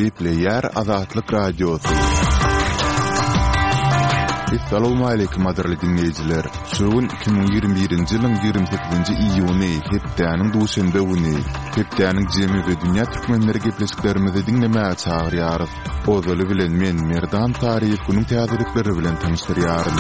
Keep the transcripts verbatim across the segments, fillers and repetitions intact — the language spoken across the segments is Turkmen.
Gepleýär Azatlyk Radiosy. Essalawmaleýkim gadyrly diňleýjiler! Şu gün iki müň ýigrimi birinji ýylyň ýigrimi sekizinji iýuny, hepdäniň duşenbe güni. Hepdäniň jemi we dünýä türkmenleri gepleşiklerimizi diňlemäge çagyrýarys. Ozaly bilen men, Merdan Saryýew günüň täzelikleri bilen tanyşdyrýaryn.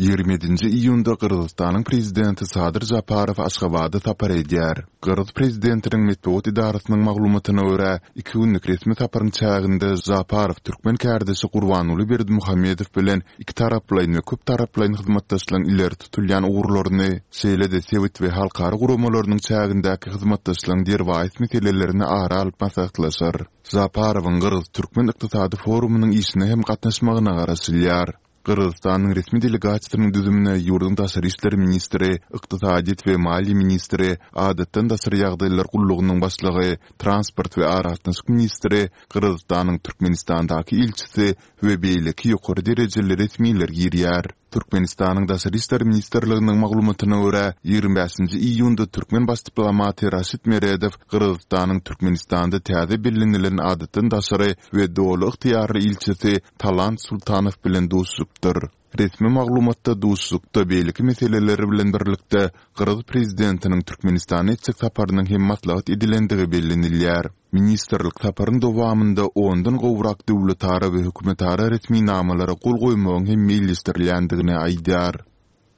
Ýigrimi ýedinji iýunda Gyrgyzystanyň Prezidenti Sadyr Žaparow Aşgabada sapar edýär. Gyrgyz prezidentiniň metbugat edarasynyň maglumatyna görä, iki günlük resmi saparyň çäginde Žaparow türkmen kärdeşi Gurbanguly Berdimuhamedow bilen ikitaraplaýyn we köptaraplaýyn hyzmatdaşlygyň ileri tutulýan ugurlaryny, şeýle-de sebit we halkara guramalarynyň çägindäki hyzmatdaşlygyň derwaýys meselelerini ara alyp maslahatlaşar. Žaparowyň Gyrgyz-türkmen ykdysady forumynyň işine hem gatnaşmagyna garaşylýar. Gyrgyzystanyň resmi delegasiýasynyň düzümine ýurduň daşary işler ministri, ykdysadyýet we maliýe ministri, adatdan daşary ýagdaýlar gullugynyň başlygy, transport we aragatnaşyk ministri, Gyrgyzystanyň Türkmenistandaky ilçisi we beýleki ýokary derejeli resmiler girýär. Türkmenistanyň Daşary işler ministrliginiň maglumatyna görä, ýigrimi bäşinji iýunda türkmen baş diplomaty Raşid Meredow Gyrgyzystanyň Türkmenistanda täze bellenilen adatdan daşary we doly ygtyýarly ilçisi Talant Sultanow bilen duşuşypdyr. Resmi maglumatda duşuşykda beýleki meseleler bilen birlikde, gyrgyz prezidentiniň Türkmenistana etjek saparynyň hem maslahat edilendigi bellenilýär. Ministrlik saparyň dowamynda ondan gowrak döwletara we hökümetara resminamalara gol goýmagyň hem meýilleşdirilýändigini aýdýar.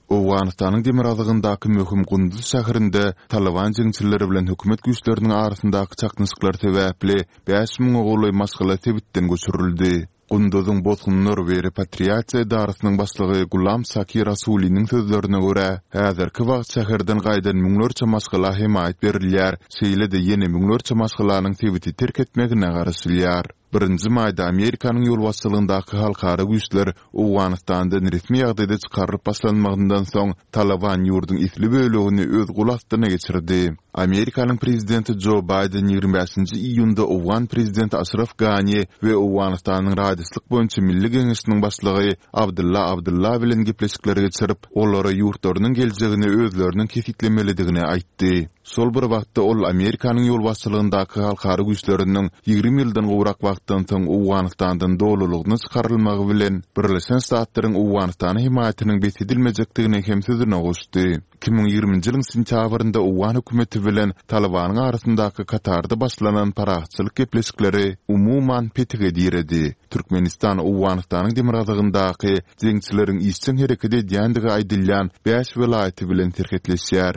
Owganystanyň demirgazygyndaky möhüm Gunduz şäherinde Talyban jeňçileri bilen hökümet güýçleriniň arasyndaky çaknyşyklar sebäpli bäş müňe golaý maşgala sebitden göçürildi. Gunduzyň bosgunlar we repatriasiýa edarasynyň başlygy Gulam Saki Rasuliniň sözlerine görä, häzirki wagt şäherden gaýdan müňlerçe maşgala hemaýat berilýär, şeýle-de ýene müňlerçe maşgalanyň sebiti terk etmegine garaşylýar. Birinji maýda Amerikanyň ýolbaşçylygyndaky halkara güýçler Owganystandan resmi ýagdaýda çykarylyp başlanmagyndan soň, Talyban ýurduň esli bölegini öz gol astyna geçirdi. Amerikanyň prezidenti Jo Baýden ýigrimi bäşinji iýunda owgan prezidenti Aşraf Gani we Owganystanyň Raýdaşlyk boýunça Milli geňeşiniň başlygy Abdylla Abdylla bilen gepleşikler geçirip, olara ýurtlarynyň geljegini özleriniň kesgitlemelidigini aýtdy. Şol bir wagtda ol Amerikanyň ýolbaşçylygyndaky halkara güýçleriniň ýigrimi ýyldan gowrak wagtdan soň Owganystandan dolulygyna çykarylmagy bilen Birleşen Ştatlaryň Owganystana hemaýatynyň bes edilmejekdigini hem sözüne goşdy. Iki müň ýigriminji ýylyň sentýabrynda owgan hökümeti bilen Talybanyň arasyndaky Katarda başlanan parahatçylyk gepleşikleri umuman petige diredi. Türkmenistan Owganystanyň demirgazygyndaky jeňçileriň işjeň hereket edýändigi aýdylýan bäş welaýaty bilen serhetleşýär.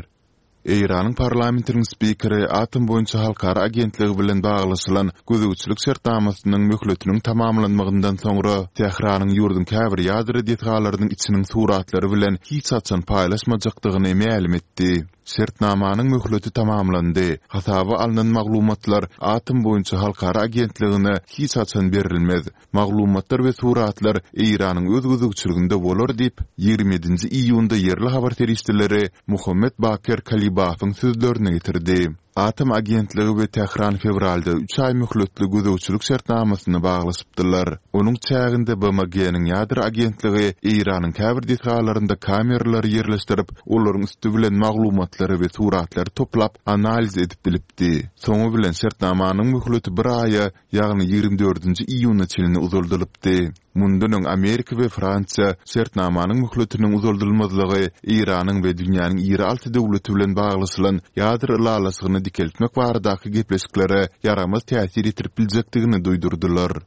Eýranyň parlamentiniň spikeri Atom boýunça halkara agentligi bilen baglaşylan gözegçilik şertnamasynyň möhletiniň tamamlanmagyndan soňra Tähranyň ýurduň käbir ýadro desgalarynyň içiniň suratlary bilen hiç haçan paýlaşmajakdygyny mälim etdi. Şertnamanyň möhleti tamamlandy. Hasaba alnan maglumatlar Atom boýunça halkara agentligine hiç haçan berilmez. Maglumatlar we suratlar Eýranyň öz gözegçiliginde bolar diýip, ýigrimi ýedinji iýunda ýerli habar serişdeleri Muhammet Baker Kalibafyň sözlerini getirdi. Atom agentligi we Tähran fewralda üç aý möhletli gözegçilik şertnamasyny baglaşypdylar. Onuň çäginde B M G-niň ýadro agentligi Eýranyň käbir desgalarynda kameralary ýerleşdirip, olaryň üsti bilen maglumatlary we suratlary toplap, analiz edip bilipdi. Soňy bilen şertnamanyň möhleti bir aýa, ýagny ýigrimi dördünji iýuna çenli uzaldylypdy. Mundan öň Amerika we Fransiýa şertnamanyň möhletiniň uzaldylmazlygy Eýranyň we dünýäniň iri alty döwleti bilen baglaşylan ýadro ylalaşygyny dikeltmek baradaky gepleşiklere ýaramaz täsir ýetirip biljekdigini duýdurdylar.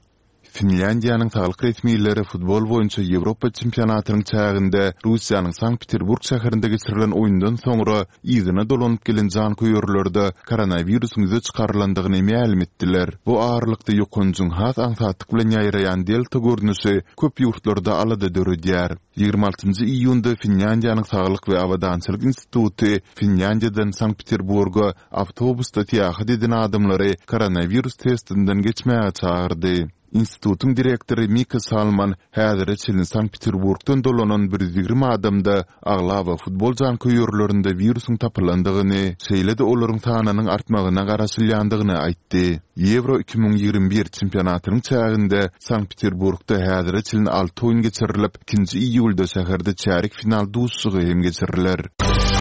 Finlýandiýanyň saglyk resmileri futbol boýunça Ýewropa çempionatynyň çäginde Russiýanyň Sankt-Peterburg şäherinde geçirilen oýundan soňra yzyna dolanyp gelen janköýerlerde koronawirusyň ýüze çykarylandygyny mälim etdiler. Bu aralykda ýokanjyň has aňsatlyk bilen ýaýraýan delta görnüşi köp ýurtlarda alada döredýär. Ýigrimi altynjy iýunda Finlýandiýanyň Saglyk we abadançylyk instituty Finlýandiýadan Sankt-Peterburga awtobusda syýahat eden adamlary koronawirus testinden geçmäge çagyrdy. Institutyň direktory Mika Salman häzire çenli Sankt-Peterburgdan dolanan bir ýüz ýigrimi adamda aglaba futbol janköýerlerinde wirusyň tapylandygyny, şeýle-de olaryň sanynyň artmagyna garaşylýandygyny aýtdy. Ýewro iki müň ýigrimi bir çempionatynyň çäginde Sankt-Peterburgda häzire çenli alty oýun geçirilip, ikinji iýulda şäherde çärýek final duşuşygy hem geçiriler.